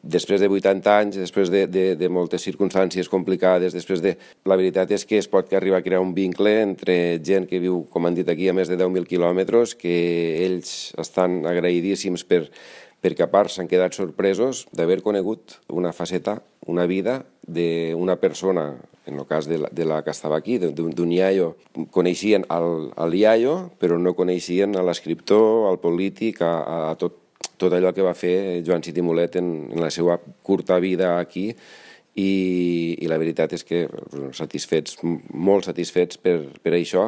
després de 80 anys, després de moltes circumstàncies complicades, La veritat és que es pot arribar a crear un vincle entre gent que viu, com han dit aquí, a més de 10.000 quilòmetres, que ells estan agraïdíssims perquè a part s'han quedat sorpresos d'haver conegut una faceta, una vida d'una persona, en el cas de la que estava aquí, d'un iaio. Coneixien el iaio, però no coneixien l'escriptor, el polític, a tot allò que va fer Joan Cid i Mulet en la seva curta vida aquí, i la veritat és que satisfets, molt satisfets per això.